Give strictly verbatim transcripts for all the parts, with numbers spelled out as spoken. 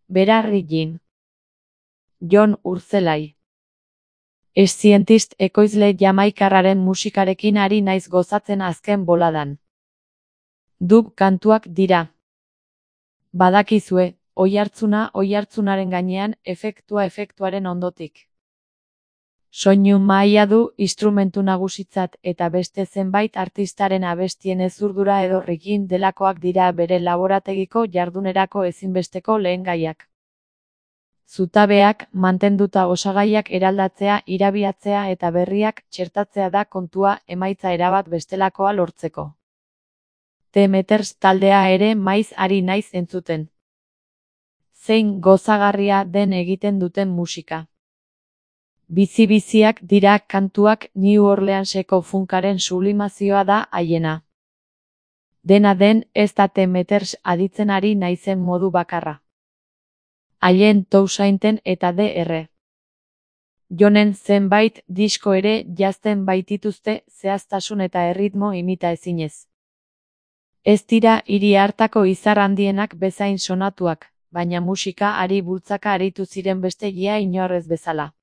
Berarrillin. Jon Urzelai. Scientist ekoizle jamaikarraren musikarekin ari naiz gozatzen azken boladan. Dub kantuak dira. Badakizue, oihartzuna oihartzunaren gainean, efektua efektuaren ondotik. Soinu mahaia du instrumentu nagusitzat eta beste zenbait artistaren abestien ezurdura edo rigging delakoak dira bere laborategiko jardunerako ezinbesteko lehengaiak. Zutabeak, mantenduta osagaiak eraldatzea, irabiatzea eta berriak txertatzea da kontua emaitza erabat bestelakoa lortzeko. The Meters taldea ere maiz ari naiz entzuten. Zein gozagarria den egiten duten musika. Bizi-biziak dira kantuak, New Orleanseko funkaren sublimazioa da haiena. Dena den, ez da The Meters aditzen ari naizen modu bakarra. Haien Toussainten eta Dr. Jonen zenbait disko ere jazten baitituzte zehaztasun eta erritmo imita ezinez. Ez dira hiri hartako izar handienak bezain sonatuak, baina musika ari bultzaka aritu ziren beste ia inorrez bezala.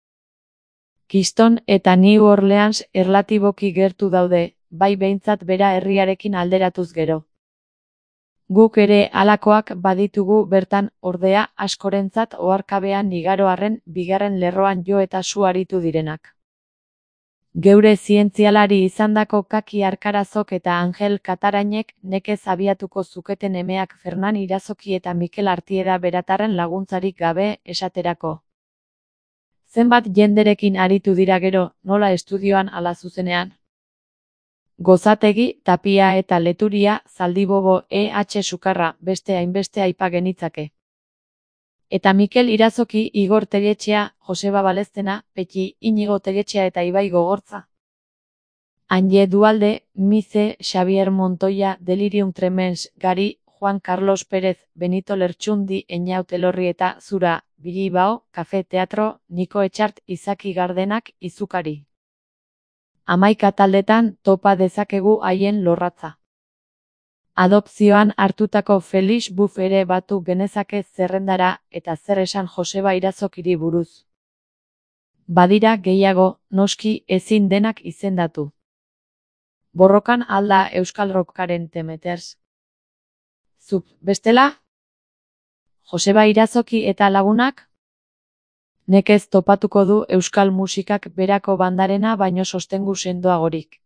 Keystone eta New Orleans erlatiboki gertu daude, bai behintzat bera herriarekin alderatuz gero. Guk ere halakoak baditugu bertan, ordea, askorentzat oharkabean igaro arren bigarren lerroan jo eta su aritu direnak. Geure zientzialari izandako Kaki Arkarazok eta Angel Katarainek nekez abiatuko zuketen emeak Fernan Irazoki eta Mikel Artieda Beratarren laguntzarik gabe esaterako. Zenbat jenderekin aritu dira gero, nola estudioan ala zuzenean? Gozategi, Tapia eta Leturia, Zaldibobo, E H Sukarra, beste hainbeste aipa genitzake. Eta Mikel Irazoki, Igor Telletxea, Joseba Baleztena, Petxi, Inigo Telletxea eta Ibai Gogortza. Anje Dualde, Mize, Xavier Montoya, Delirium Tremens, Gari, Juan Carlos Pérez, Benito Lertxundi, Eñaut Elorri eta Zura, Bilibao, Kafe Teatro, Niko Etxart, Izaki Gardenak, Izukari. Hamaika taldetan topa dezakegu haien lorratza. Adopzioan hartutako Felix Buff ere batu genezake zerrendara eta zer esan Joseba Irazokiri buruz. Badira gehiago, noski ezin denak izendatu. Borrokan alda Euskal Rockaren The Meters. Zuk, bestela? Joseba Irazoki eta lagunak? Nekez topatuko du euskal musikak berako bandarena baino sostengu sendoagorik.